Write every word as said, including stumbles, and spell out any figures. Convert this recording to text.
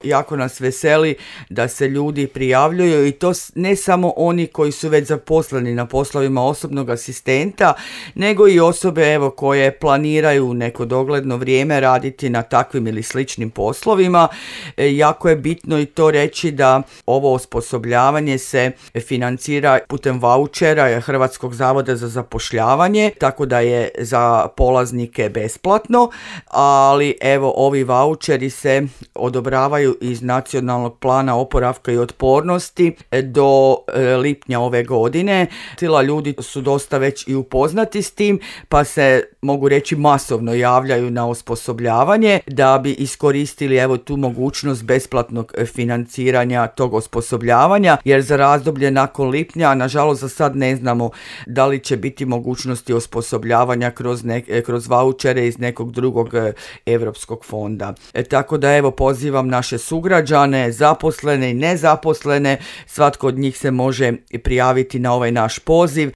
Jako nas veseli da se ljudi prijavljuju i to ne samo oni koji su već zaposleni na poslovima osobnog asistenta, nego i osobe evo koje planiraju neko dogledno vrijeme raditi na takvim ili sličnim poslovima. E, jako je bitno i to reći da ovo osposobljavanje se financira putem vaučera Hrvatskog zavoda za zapošljavanje, tako da je za polaznike besplatno, ali evo ovi vaučeri se odobravaju iz Nacionalnog plana oporavka i otpornosti do lipnja ove godine. Tila ljudi su dosta već i upoznati s tim, pa se mogu reći masovno javljaju na osposobljavanje da bi iskoristili evo tu mogućnost besplatnog financiranja tog osposobljavanja, jer za razdoblje nakon lipnja, nažalost za sad ne znamo da li će biti mogućnosti osposobljavanja kroz, ne, kroz vaučere iz nekog drugog europskog fonda. E, tako da evo pozivam naše sugrađane, zaposlene i nezaposlene, svatko od njih se može prijaviti na ovaj naš poziv